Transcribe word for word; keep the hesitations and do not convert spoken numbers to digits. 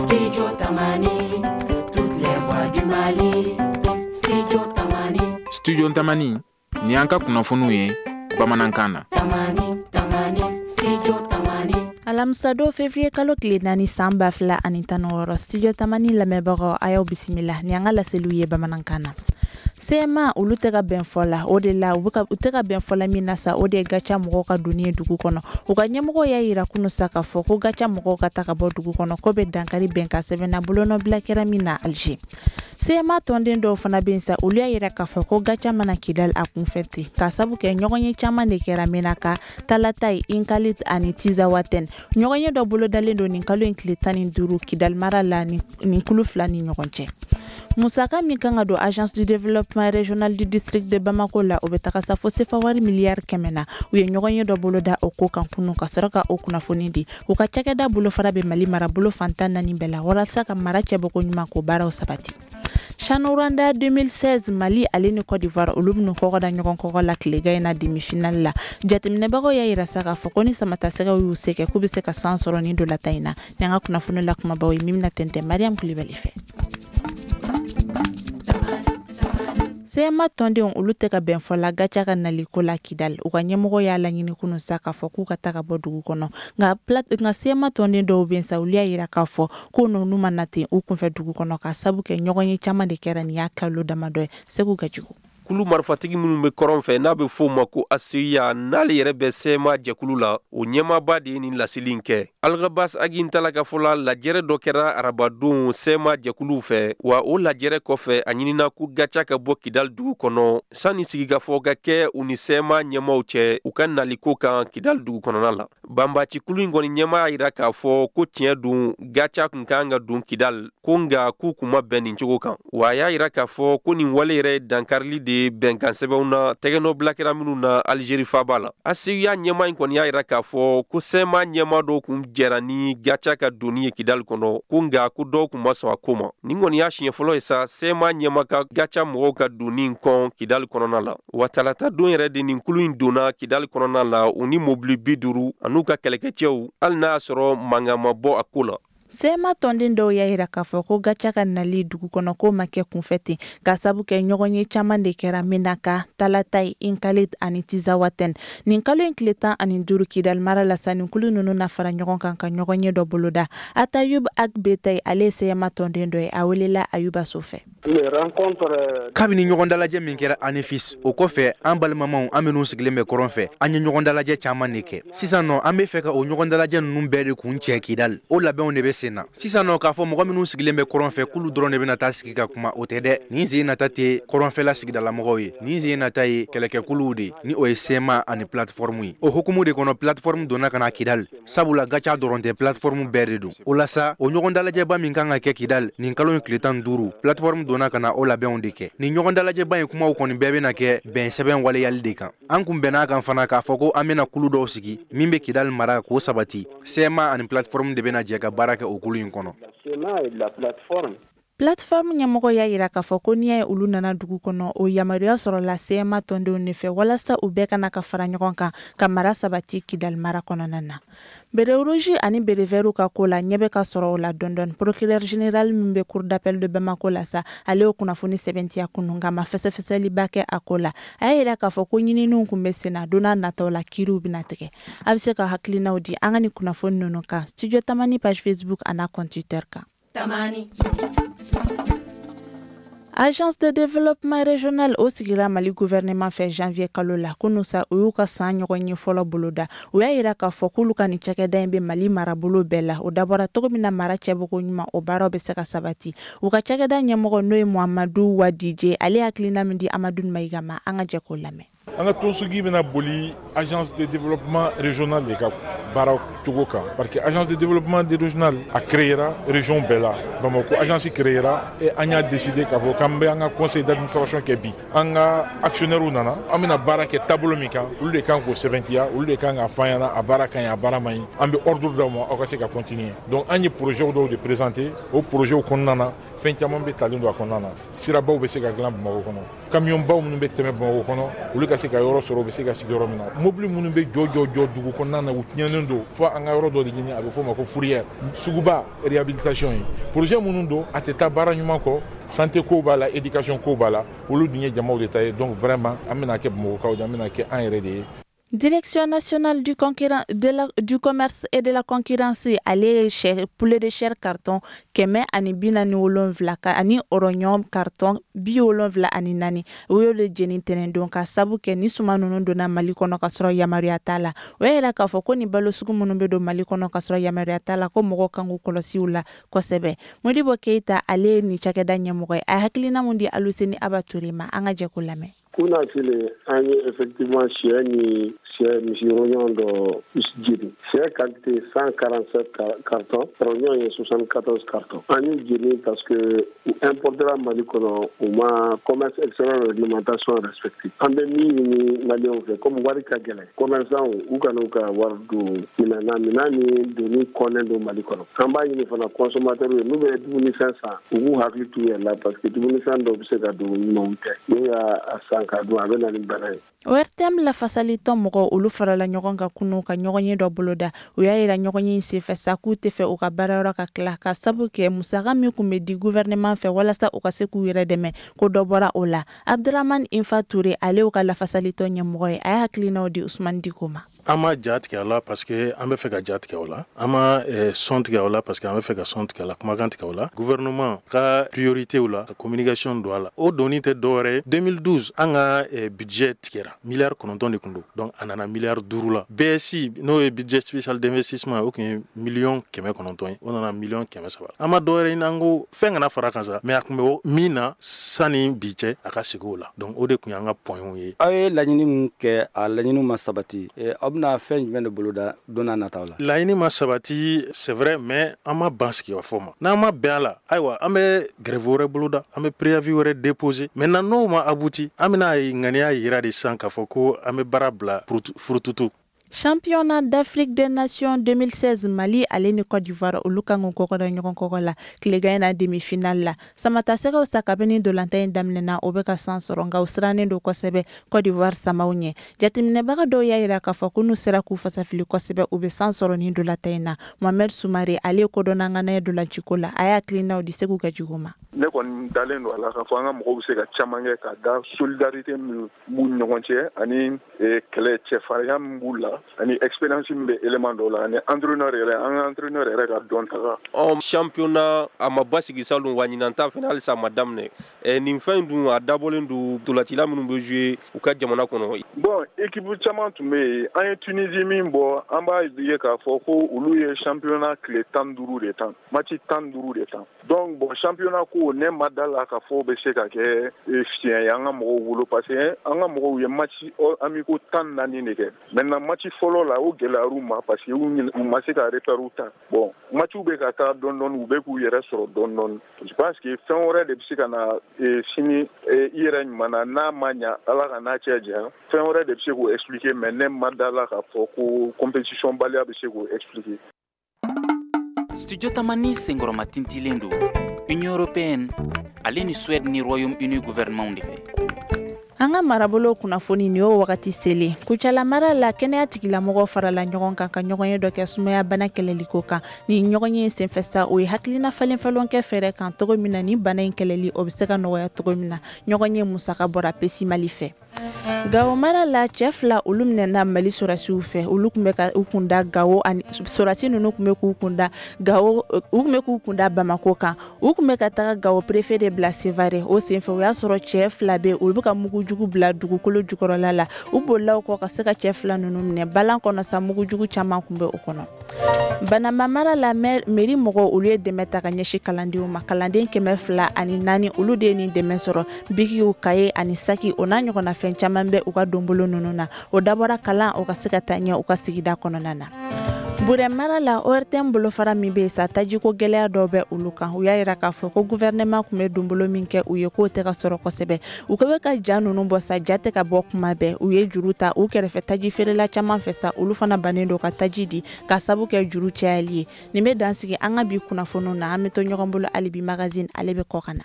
Studio Tamani, toutes les voix du Mali. Studio Tamani. Studio Tamani, ni an ka kunnafoniw ye bamanankan na. Tamani, Tamani, Studio Tamani. Alamisadon février kalo tile naani san ba fila ani tan ni wɔɔrɔ, Studio Tamani lamɛnbagaw, a y'aw bisimila ni an ka laseliw ye bamanankan na. C M A olu tɛ ka bɛn fɔ la, o de la u tɛ ka bɛn fɔ la min na sa, o de ye GATIA mɔgɔw ka donni ye dugu kɔnɔ. U ka ɲɛmɔgɔ y'a yira kunun sa k'a fɔ ko GATIA mɔgɔw ka ta ka bɔ dugu kɔnɔ, ko bɛ dankari bɛnkan sɛbɛn na bolonɔbila kɛra min na Alger. C M A tɔnden dɔw fana bɛ yen sa, olu y'a yira k'a fɔ ko GATIA mana Kidal a kunfɛ ten, k'a sabu kɛ ɲɔgɔn ye caman de kɛra Menaka, Talataye, Inkalit ani Tizawaten. Ɲɔgɔn ye dɔ bolodalen don nin kalo in tile tan ni duuru Kidal mara la nin kulu fila ni ɲɔgɔn cɛ. Musaka min kan ka don Agence du développement régional du district de Bamako la, o bɛ taga sa fo sefa wari miliyari kɛmɛ na. U ye ɲɔgɔn ye dɔ boloda o ko kan kunun ka sɔrɔ ka o kunnafoni di. U ka cakɛda bolofara bɛ Mali marabolo fantan naani bɛɛ la walasa ka mara cɛbɔko ɲuman ko baaraw sabati. CHAN Rwanda deux mille seize, Mali ale ni Côte d'Ivoire, olu bɛn'u kɔgɔ da ɲɔgɔn kɔgɔ la tilegan in na demi-finale la. Jateminɛbagaw y'a yira sa k'a fɔ ko ni samatasɛgɛw y'u se kɛ, k'u bɛ se ka san sɔrɔ nin dolata in na. Ni an ka kunnafoni la kumabaw ye min bɛna tɛntɛn Mariam Kulibali fɛ. C M A tɔndenw olu tɛ ka bɛn fɔ la GATIA ka naliko la Kidal. U ka ɲɛmɔgɔ y'a laɲini kunun sa k'a fɔ k'u ka ta ka bɔ dugu kɔnɔ, nka nka C M A tɔnden dɔw bɛ yen sa, olu y'a yira k'a fɔ ko n'olu ma na ten u kunfɛ dugu kɔnɔ, ka sabu kɛ ɲɔgɔn ye caman de kɛra nin y'a kalo damadɔ ye. Segu Gajugu. Kulu marifatigi minnu bɛ kɔrɔn fɛ, n'a bɛ f'o ma ko A C I A, n'ale yɛrɛ bɛ C M A jɛkulu la, o ɲɛmaaba de ye nin laseli in kɛ. Alghabass Ag Intalla ka fɔ la, lajɛrɛ dɔ kɛra arabadon C M A jɛkuluw fɛ, wa o lajɛrɛ kɔfɛ, a ɲinina ko GATIA ka bɔ Kidal dugu kɔnɔ sanni sigikafɔ ka kɛ u ni C M A ɲɛmaw cɛ u ka naliko kan Kidal dugu kɔnɔna la. Banbaci kulu in kɔni ɲɛma y'a jira k'a fɔ ko tiɲɛ don, GATIA kun kan ka don Kidal ko, nka k'u kun ma bɛn nin cogo kan. Wa a y'a jira k'a fɔ ko nin wale yɛrɛ ye dankarili de ye bɛnkan sɛbɛnw na tɛgɛnɔ kɛra minnu na Alizeri faaba la. A C I A ɲɛma in kɔni y'a jira k'a fɔ ko C M A ɲɛma dɔw kun jɛra ni GATIA ka donni ye Kidali kɔnɔ ko, nka ko dɔw kun ma sɔn a ko ma. Nin kɔni y'a siɲɛ fɔlɔ ye sa C M A ɲɛma ka GATIA mɔgɔw ka donni kɔn Kidali kɔnɔna la. Wa talata don yɛrɛ de nin kulu in donna Kidali kɔnɔna la, u ni mobili bi duuru an'u ka kɛlɛkɛcɛw, hali n'a y'a sɔrɔ mankan ma bɔ a ko la. C M A tɔnden dɔw y'a yira k'a fɔ ko GATIA ka nali dugu kɔnɔ ko ma kɛ kunfɛ ten, ka sabu kɛ ɲɔgɔn ye caman de kɛra Menaka, Talataye, Inkalit ani Tizawaten nin kalo in tile tan ani duuru Kidal mara la. Sanninkulu ninnu na fara ɲɔgɔn kan ka ɲɔgɔn ye dɔ boloda. Atayub Agbetay, ale ye C M A tɔnden dɔ ye, a welela Ayuba So fɛ. Kabini ɲɔgɔn dalajɛ min kɛra Anefis, o kɔfɛ, an balimamaw, an minnu sigilen bɛ kɔrɔn fɛ, an ye ɲɔgɔn dalajɛ caman de kɛ. Sisan nɔ, an be fɛ ka o ɲɔgɔn dalajɛ ninnu bɛɛ de kun cɛ Kidal. O labɛnw de bɛ sen na sisan nɔ. K'a fɔ mɔgɔ minnu sigilen bɛ kɔrɔn fɛ k'olu dɔrɔn de bɛna taa sigi ka kuma, o tɛ dɛ. Nin sen nata tɛ kɔrɔnfɛla sigidalamɔgɔw ye, nin sen nata ye kɛlɛkɛkuluw de, ni o ye C M A ani plateforme ye. O hukumu de kɔnɔ, plateforme donna ka na Kidal, sabula GATIA dɔrɔn tɛ, plateforme bɛɛ de don. O la sa, o ɲɔgɔn dalajɛba min kan ka kɛ Kidal nin kalo in tile tan duuru, plateforme donna ka na o labɛnw de kɛ. Nin ɲɔgɔn dalajɛba in kumaw kɔni bɛɛ bɛna kɛ bɛn sɛbɛn waleyali de kan. An kun bɛn'a kan fana k'a fɔ ko an bɛna kulu dɔw sigi min bɛ Kidal mara k'o sabati. C M A ani plateforme de bɛna jɛ ka baara kɛ o kulu in kɔnɔ. Plateforme ɲɛmɔgɔ y'a yira k'a fɔ ko n'i y'a ye olu nana dugu kɔnɔ, o yamaruya sɔrɔla C M A tɔndenw de fɛ walasa u bɛɛ kana ka fara ɲɔgɔn kan ka mara sabati Kidal mara kɔnɔna na. Béret rouge ani béret vert ka ko la, ɲɛ bɛ ka sɔrɔ o la dɔɔni. Procureur général min bɛ cour d'appel de Bamako la sa, ale y'o kunnafoni sɛbɛntiya kunun, nka ma fɛsɛfɛsɛliba kɛ a ko la. A y'a yira k'a fɔ ko ɲininiw kun bɛ sen na, don n'a nataw la kiiriw bɛna tigɛ. A bɛ se ka hakilinaw di an ka nin kunnafoni ninnu kan Studio Tamani page Facebook an'a compte Twitter kan. Tamani. Agence de développement régional, o sigira Mali gouvernement fɛ janvier kalo la. Kunun sa, u y'u ka san ɲɔgɔn ye fɔlɔ boloda. U y'a yira k'a fɔ k'olu ka nin cakɛda in bɛ Mali marabolo bɛɛ la. O dabɔra cogo min na, mara cɛbɔko ɲuman, o baaraw bɛ se ka sabati. U ka cakɛda ɲɛmɔgɔ, n'o ye Muhamadu Wadije, ale hakilina min di Amadu Mayiga ma, an ka jɛ k'o lamɛn. An ka tɔnsigi bɛna boli Agence de développement régional de ka baara cogo kan, parce que Agence de développement régional a créera région bɛɛ la. Bamako agence créera et an y'a décidé k'a fɔ k'an bɛ an ka conseil d'administration kɛ bi. An ka actionnaires nana, an bɛna baara kɛ taabolo min kan, olu de kan k'o sɛbɛntiya, olu de kan k'a fɔ an ɲɛna a baara ka ɲi, a baara man ɲi. An bɛ ordre d'aw ma aw ka se ka continuer. Donc an ye projet dɔw de présenter. O projet kɔnɔna na, fɛn caman bɛ talen don a kɔnɔna na. Sirabaw bɛ se ka dilan Bamakɔ kɔnɔ, camion baw minnu bɛ tɛmɛ Bamakɔ kɔnɔ, olu ka ka se ka yɔrɔ sɔrɔ, u bɛ se ka sigi yɔrɔ min na. Mobili minnu bɛ jɔ jɔ jɔ dugu kɔnɔna na, u tiɲɛnen don, fo an ka yɔrɔ dɔ de ɲini, a bɛ f'o ma ko fourrière. Suguba réhabilitation ye projet minnu don, a tɛ taa baara ɲuman kɔ. Santé ko b'a la, éducation ko b'a la, olu dun ye jamaw de ta ye. Donc vraiment, an bɛna kɛ Bamakɔkaw de, an bɛna kɛ an yɛrɛ de ye. Direction nationale du, de la, du commerce et de la concurrence, ale ye sɛ, poulet de chair carton kɛmɛ ani bi naani wolonfila ka ani oignon carton bi wolonfila ani naani, u y'olu jeni tɛnɛndon ka sabu kɛ ni suma ninnu donna Mali kɔnɔ ka sɔrɔ yamaruya t'a la. O y'a yira k'a fɔ ko ni balo sugu minnu bɛ don Mali kɔnɔ ka sɔrɔ yamaruya t'a la, ko mɔgɔw kan k'u kɔlɔsi u la kosɛbɛ. Modibo Keyita, ale ye nin cakɛda ɲɛmɔgɔ ye. A ye hakilina mun di Aluseni Aba Ture ma? An ka jɛ k'o lamɛn. Kunasili, an ye effectivement sɛ ni sɛ misi rognons dɔ jeni. Sɛ quantité cent quarante-sept cartons, rognons ye soixante-quatorze cartons. An y'u jeni parce que u importera Mali kɔnɔ, u ma commerce extérieur réglementation respecté. An bɛ min ɲini Maliyɛnw fɛ, comme wari ka gɛlɛn, commerçant u kana u ka wari don minɛn na, minɛn ni doni kɔnnen don Mali kɔnɔ. An b'a ɲini fana consommateur ye, n'u bɛ dumunifɛn san, u b'u hakili t'u yɛrɛ la, parce que dumunifɛn dɔw bɛ se ka don ɲumanw tɛ, n'u y'a san k'a dun, a bɛ na ni bana ye. O R T M lafasalitɔn mɔgɔw, olu farala ɲɔgɔn kan kunu ka ɲɔgɔn ye dɔ boloda. U y'a yira ɲɔgɔn ye senfɛ sa k'u tɛ fɛ u ka baarayɔrɔ ka tila, ka sabu kɛ musaka min kun bɛ di gouvernement fɛ walasa u ka se k'u yɛrɛ dɛmɛ, ko dɔ bɔra o la. Abdurahman Infa Ture, ale y'u ka lafasalitɔn ɲɛmɔgɔ ye, a ye hakilinaw di Usman Diko ma. An ma ja tigɛ a la parce que an bɛ fɛ ka ja tigɛ o la. An ma sɔn tigɛ o la parce que an bɛ fɛ ka sɔn tigɛ a la, kumakan tigɛ o la. Gouvernement ka priorité la, ka communication don a la, o doni tɛ dɔwɛrɛ ye. deux mille douze, an ka budget tigɛra, miliyari kɔnɔntɔn de tun don, donc a nana miliyari duuru la. B S I, n'o ye budget spécial d'investissement, o tun ye miliyɔn kɛmɛ kɔnɔntɔn ye, o nana miliyɔn kɛmɛ saba. An ma dɔwɛrɛ ɲini, an ko fɛn kana fara kan sa, mais a tun bɛ min na sanni bi cɛ, a ka segin o la. Donc o de tun y'an ka points ye. Aw ye laɲini min kɛ, a laɲiniw ma sabati. Aw bɛna fɛn jumɛn de boloda don n'a nataw la? Laɲini ma sabati, c'est vrai, mais an ma ban sigikafɔ ma. N'an ma bɛn a la, ayiwa, an bɛ grève wɛrɛ boloda, an bɛ préavis wɛrɛ déposer. Maintenant, n'o ma abouti, an bɛna ŋaniya yira de sisan k'a fɔ ko an bɛ baara bila furututu. Championnat d'Afrique des Nations deux mille seize, Mali ale ni Côte d'Ivoire, olu kan k'u kɔkɔ da ɲɔgɔn kɔkɔ la tilegan na demi-finale la. Samatasɛgɛw sa, kabini ntolantan in daminɛna, o bɛ ka san sɔrɔ, nka u sirannen don kosɛbɛ Côte d'Ivoire samaw ɲɛ. Jateminɛbaga dɔw y'a yira k'a fɔ ko n'u sera k'u fasafili kosɛbɛ, u bɛ san sɔrɔ nin ntolantan in na. Mohamed Sumare, ale ye kodɔnna ŋana ye ntolanciko la, a y'a hakilinaw di Segu Gajugu ma. Ne kɔni dalen don a la k'a fɔ an ka mɔgɔw bɛ se ka caman kɛ ka da solidarité min b'u ni ɲɔgɔn cɛ, ani kɛlɛ cɛfarinya min b'u la, ani expérience min bɛ élément dɔw la, ani entraîneur yɛrɛ, an ka entraîneur yɛrɛ ka dɔn taga. Ɔ championnat a ma basigi salon wa, ɲinan ta fana halisa a ma daminɛ. Nin fɛn in dun, a dabɔlen don ntolacila minnu bɛ jouer u ka jamana kɔnɔ. Bon, équipe caman tun bɛ yen. An ye Tunisie min bɔ, an b'a ye k'a fɔ ko olu ye championnat tile tan duuru de tan, match tan duuru de tan. Donc bon, championnat ko, ne ma da la k'a fɔ bɛ se ka kɛ fiɲɛ ye an ka mɔgɔw bolo, parce que an ka mɔgɔw ye match amicaux tan naani de kɛ. Maintenant, match fɔlɔ la, o gɛlɛyar'u ma parce que u ma se ka repère ta. Bon, match bɛ ka taa dɔɔni dɔɔni, u bɛ k'u yɛrɛ sɔrɔ dɔɔni dɔɔni. Je pense que fɛn wɛrɛ de bɛ se ka na sini i yɛrɛ ɲuman na, n'a ma ɲa, Ala ka n'a cɛ janya, fɛn wɛrɛ de bɛ se k'o expliquer, mais ne ma da la k'a fɔ ko compétition baliya bɛ se k'o expliquer. Studio Tamani senkɔrɔma tintilen don Union européenne ale ni Suède ni Royaume-Uni gouvernement de fɛ. An ka marabolo kunnafoni, nin y'o wagati selen. Kucala mara la, kɛnɛya tigilamɔgɔw farala ɲɔgɔn kan ka ɲɔgɔn ye dɔ kɛ sumaya bana kɛlɛliko kan. Ni ɲɔgɔn ye senfɛ sa, o ye hakilina falen falen kɛ fɛɛrɛ kan cogo min na ni bana in kɛlɛli, o bɛ se ka nɔgɔya cogo min na. Ɲɔgɔn ye musaka bɔra Pesi Mali fɛ. Gawo mara la, cɛ fila, olu minɛna Mali sɔrɔdasiw fɛ. Olu tun bɛ ka u kunda Gawo, ani sɔrɔdasi ninnu tun bɛ k'u kunda Gawo, u tun bɛ k'u kunda Bamako kan. U tun bɛ ka taga Gawo préfet de bila Sevare. O senfɛ, o y'a sɔrɔ cɛ fila bɛ, olu bɛ ka mugujugu bila dugukolo jukɔrɔla la. U bolila o kɔ ka se ka cɛ fila ninnu minɛ balan kɔnɔ sa, mugujugu caman tun bɛ o kɔnɔ. Banamba mara la, mairie mɔgɔw, olu ye dɛmɛ ta ka ɲɛsin kalandenw ma. Kalanden kɛmɛ fila ani naani, olu de ye nin dɛmɛ sɔrɔ. Bikiw, kaye ani saki, o n'a ɲɔgɔnna fɛn caman bɛ u ka donbolo ninnu na. O dabɔra kalan o ka se ka taa ɲɛ u ka sigida kɔnɔna na. Burɛ mara la, O R T M bolofara min bɛ yen sa, tajiko gɛlɛya dɔw bɛ olu kan. U y'a yira k'a fɔ ko gouvernement tun bɛ donbolo min kɛ u ye, k'o tɛ ka sɔrɔ kosɛbɛ. U bɛ ka ja ninnu bɔ sa, ja tɛ ka bɔ kuma bɛɛ. U ye juru ta u kɛrɛfɛ taji feerela caman fɛ sa, olu fana bannen don ka taji di ka sabu kɛ juru cayali ye. Nin bɛ dan sigi an ka bi kunnafoniw na. An bɛ to ɲɔgɔn bolo hali bi, magazine ale bɛ kɔ ka na.